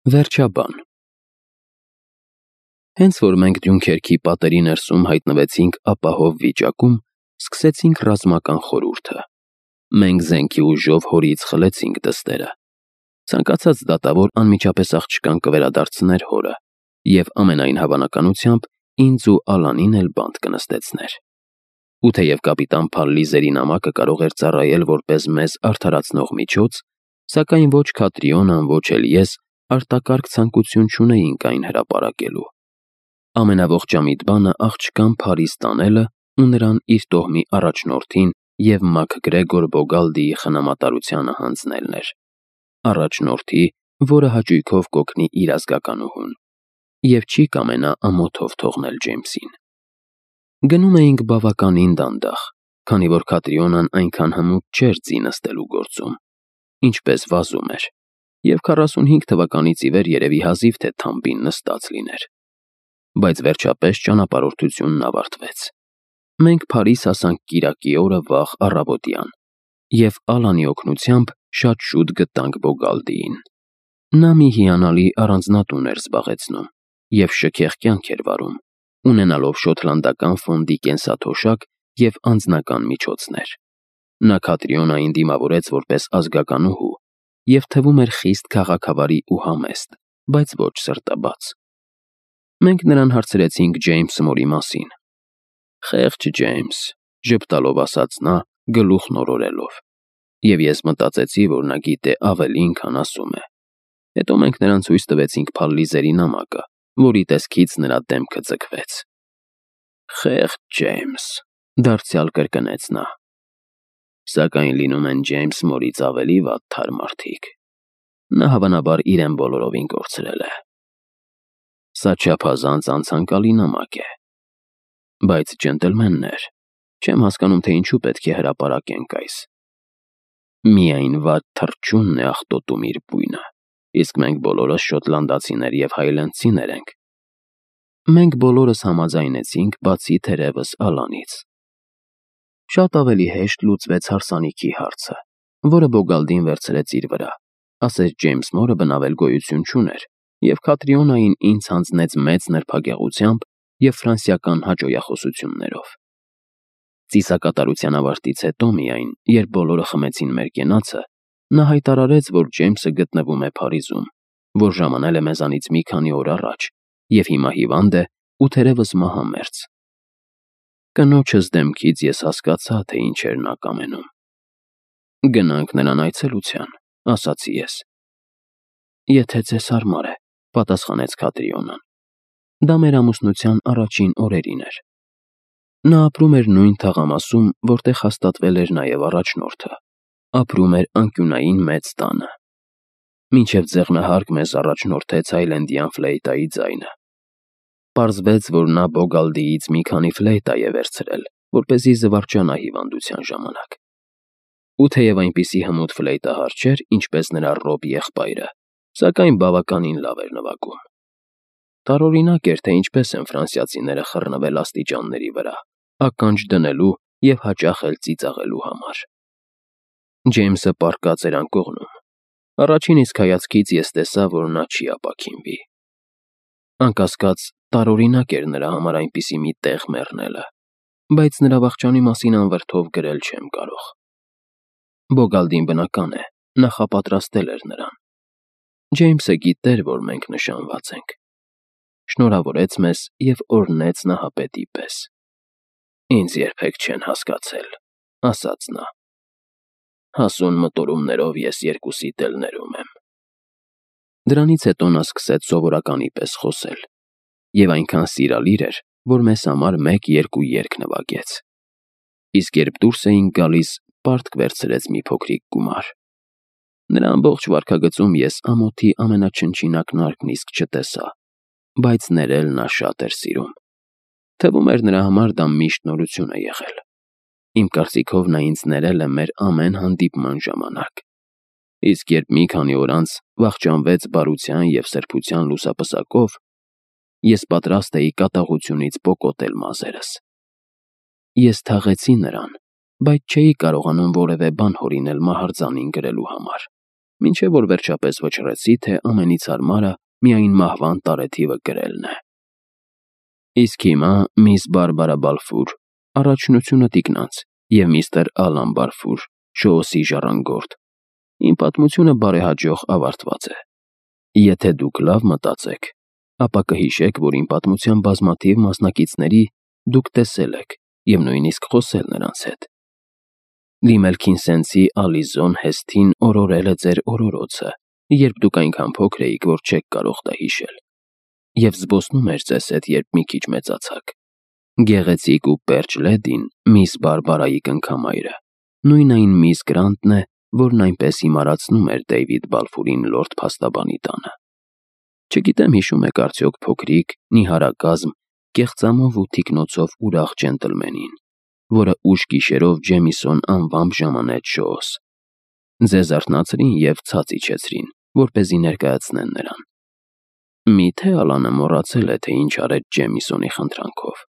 Վերջաբան։ Հենց որ մենք Դյունքերքի պատերի ներսում հայտնվեցինք ապահով վիճակում, սկսեցինք ռազմական խորհուրդը։ Մենք զենքի ուժով հորից խլեցինք դստերը։ Ցանկացած դատավոր անմիջապես աղջկան կվերադարձներ հորը, և ամենայն հավանականությամբ ինձ ու Ալանին էլ բանտ կնստեցներ։ Ու թեև կապիտան Փալլիզերի նամակը կարող էր ծառայել որպես մեզ արդարացնող միջոց, սակայն ոչ Քատրիոնան, ոչ էլ ես արտակարգ ցանկություն չունեինք այն հրապարակելու։ Ամենաողջամիտ բանը աղջկան Փարիզ տանելը ու նրան իր տոհմի առաջնորդին և Մաքգրեգոր Բոգալդիի խնամատարությանը հանձնելն էր։ Առաջնորդի, որը հաճույքով կօգնի իր ազգականուհուն, և չի կամենա ամոթով թողնել Ջեյմսին։ Գնում էինք բավականին դանդաղ, քանի որ Քատրիոնան այնքան հմուտ չէր ձի նստելու գործում, ինչպես վազում էր, և 45 թվականից ի վեր երևի հազիվ թե թամբին նստած լիներ։ Բայց վերջապես ճանապարհորդությունն ավարտվեց։ Մենք Փարիզ հասանք կիրակի օրը վաղ առավոտյան, և Ալանի օգնությամբ շատ շուտ գտանք Բոգալդիին։ Նա մի հիանալի առանձնատուն էր զբաղեցնում և շքեղ կյանք էր վարում, ունենալով շոտլանդական ֆոնդի կենսաթոշակ և անձնական միջոցներ։ Նա Քատրիոնային դիմավորեց որպես ազգականուհու և թվում էր խիստ քաղաքավարի ու համեստ, բայց ոչ սրտաբաց։ Մենք նրան հարցրեցինք Ջեյմս Մորի մասին։ «Խեղճ Ջեյմս», ժպտալով ասաց նա, գլուխն օրորելով, և ես մտածեցի, որ նա գիտե ավելին, քան ասում է։ Հետո մենք նրան ցույց տվեցինք Փալլիզերի նամակը, որի տեսքից նրա դեմքը ձգվեց։ «Խեղճ Ջեյմս», դարձյալ կրկնեց նա։ Սակայն լինում են Ջեյմս Մորից ավելի վատ թարմ մարդիկ։ Նա հավանաբար իրեն բոլորովին կորցրել է։ Սա չափազանց անցանկալի նամակ է։ Բայց, ջենտլմեններ, չեմ հասկանում, թե ինչու պետք է հրապարակենք այս։ Միայն վատ թռչունն է աղտոտում իր բույնը, իսկ մենք բոլորս շոտլանդացիներ և հայլենդցիներ ենք։ Մենք բոլորս համաձայնեցինք, բացի թերևս Ալանից։ Շատ ավելի հեշտ լուծվեց հարսանիքի հարցը, որը Բոգալդին վերցրեց իր վրա, ասես Ջեյմս Մորը բնավել գոյություն չուներ, և Քատրիոնային ինձ հանձնեց մեծ նրբագեղությամբ և ֆրանսիական հաճոյախոսություններով։ Ծիսակատարության ավարտից հետո միայն, երբ բոլորը խմեցին մեր կենացը, նա հայտարարեց, որ Ջեյմսը գտնվում է Փարիզում, որ ժամանել է մեզանից մի քանի օր առաջ, և հիմա հիվանդ է ու թերևս մահամերձ։ Կնոջս դեմքից ես հասկացա, թե ինչ էր նա կամենում։ «Գնանք նրան այցելության», ասացի ես։ «Եթե ձեզ հարմար է», պատասխանեց Քատրիոնան։ Դա մեր ամուսնության առաջին օրերին էր։ Նա ապրում էր նույն թաղամասում, որտեղ հաստատվել էր նաև առաջնորդը։ Ապրում էր անկյունային մեծ տանը։ Մինչև ձեղնահարկ մեզ առաջնորդեց Հայլենդյան ֆլեյտայի ձայնը։ Պարզվեց, որ նա Բոգալդիից մի քանի ֆլեյտա է վերցրել, որպեսզի զվարճանա հիվանդության ժամանակ։ Ու թեև այնպիսի հմուտ ֆլեյտահար չէր, ինչպես նրա Ռոբ եղբայրը, սակայն բավականին լավ էր նվագում։ Տարօրինակ էր, թե ինչպես են ֆրանսիացիները խռնվել աստիճանների վրա, ականջ դնելու և հաճախ էլ ծիծաղելու համար։ Ջեյմսը պառկած էր անկողնում։ Առաջին իսկ հայացքից ես տեսա, որ նա չի ապաքինվի։ Անկասկած, տարօրինակ էր նրա համար այնպիսի մի տեղ մեռնելը, բայց նրա վախճանի մասին անվրդով գրել չեմ կարող։ Բոգալդին, բնական է, նախապատրաստել էր նրան։ Ջեյմսը գիտեր, որ մենք նշանված ենք։ Շնորհավորեց մեզ և օրհնեց նահապետի պես։ «Ինձ երբեք չեն հասկացել», ասաց նա։ «Հասուն մտորումներով ես երկուսիդ էլ ներում եմ»։ Դրանից հետո նա սկսեց սովորականի պես խոսել, և այնքան սիրալիր էր, որ մեզ համար մեկ-երկու երգ նվագեց։ Իսկ երբ դուրս էինք գալիս, պարտք վերցրեց մի փոքրիկ գումար։ Նրա ամբողջ վարքագծում ես ամոթի ամենաչնչին ակնարկն իսկ չտեսա, բայց ներել նա շատ էր սիրում։ Թվում էր նրա համար դա միշտ նորություն է եղել։ Իմ կարծիքով նա ինձ ներել է մեր ամեն հանդիպման ժամանակ։ Իսկ երբ մի քանի օր անց վախճանվեց բարության և սրբության լուսապսակով, ես պատրաստ էի կատաղությունից պոկոտել մազերս։ Ես թաղեցի նրան, բայց չէի կարողանում որևէ բան հորինել մահարձանին գրելու համար։ մինչև որ վերջապես վճռեցի, թե ամենից հարմարը միայն մահվան տարեթիվը գրելն է։ Իսկ հիմա միս Բարբարա Բալֆուր, առաջնությունը տիկնանց, և միստր Ալան Բալֆուր, Շոուսի ժառանգորդ, իմ պատմությունը բարեհաջող ավարտված է։ Եթե դուք լավ մտածեք, ապա կհիշեք, որ իմ պատմության բազմաթիվ մասնակիցների դուք տեսել եք և նույնիսկ խոսել նրանց հետ։ Լիմելքինսենսի Ալիզոն Հեսթին օրորել է ձեր օրորոցը, երբ դուք այնքան փոքր էիք, որ չեք կարող դա հիշել, և զբոսնում էր ձեզ հետ, երբ մի քիչ մեծացաք։ Գեղեցիկ ու պերճ լեդին, միս Բարբարայի կնքամայրը, նույն այն միս Գրանտն է, որն այնպես հիմարացնում էր Դեյվիդ Բալֆուրին լորդ փաստաբանի տանը։ Չգիտեմ հիշում եք արդյոք փոքրիկ, նիհարակազմ, կեղծամով ու թիկնոցով ուրախ ջենտլմենին, որը ուշ գիշերով Ջեմիսոն անվամբ ժամանեց Շոուս։ Ձեզ արթնացրին և ցած իջեցրին, որպեսզի ներկայացնեն նրան։ Միթե Ալանը մոռացել է, թե ինչ արեց Ջեմիսոնի խնդրանքով։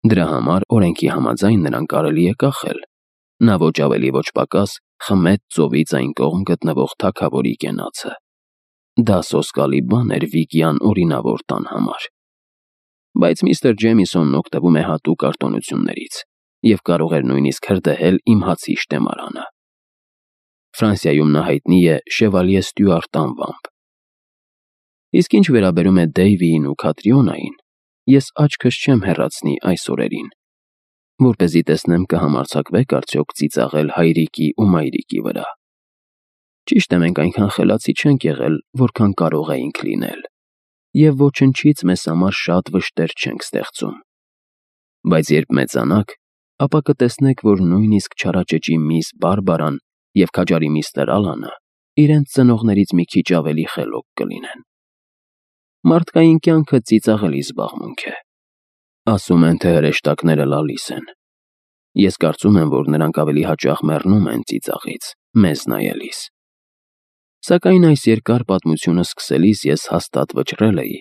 Դրա համար օրենքի համաձայն նրան կարելի է կախել։ Նա ոչ ավելի ոչ պակաս խմեց ծովից այն կողմ գտնվող թագավորի կենացը։ Դա սոսկալի բան էր Վիգյան օրինավոր տան համար։ Բայց միստր Ջեմիսոնն օգտվում է հատուկ արտոնություններից և կարող էր նույնիսկ հրդեհել իմ հացի շտեմարանը։ Ֆրանսիայում նա հայտնի է Շևալյե Ստյուարտ անվամբ։ Իսկ ինչ վերաբերում է Դեյվիին ու Քատրիոնային, ես աչքս չեմ հեռացնի այս օրերին, որպեսզի տեսնեմ կհամարձակվեք արդյոք ծիծաղել հայրիկի ու մայրիկի վրա։ Ճիշտ է, մենք այնքան խելացի չենք եղել, որքան կարող էինք լինել, և ոչնչից մեզ համար շատ վշտեր չենք ստեղծում։ Բայց երբ մեծանաք, ապա կտեսնեք, որ նույնիսկ չարաճճի միս Բարբարան և քաջարի միստր Ալանը իրենց ծնողներից մի քիչ ավելի խելոք կլինեն։ Մարդկային կյանքը ծիծաղելի զբաղմունք է։ Ասում են, թե հրեշտակները լալիս են։ Ես կարծում եմ, որ նրանք ավելի հաճախ մեռնում են ծիծաղից, մեզ նայելիս։ Սակայն այս երկար պատմությունը սկսելիս ես հաստատ վճռել էի,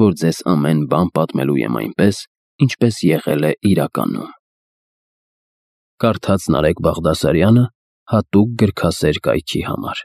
որ ձեզ ամեն բան պատմելու եմ այնպես, ինչպես եղել է իրականում։ Կարդաց Նարեկ Բաղդասարյանը հատուկ գրքասեր կայքի համար։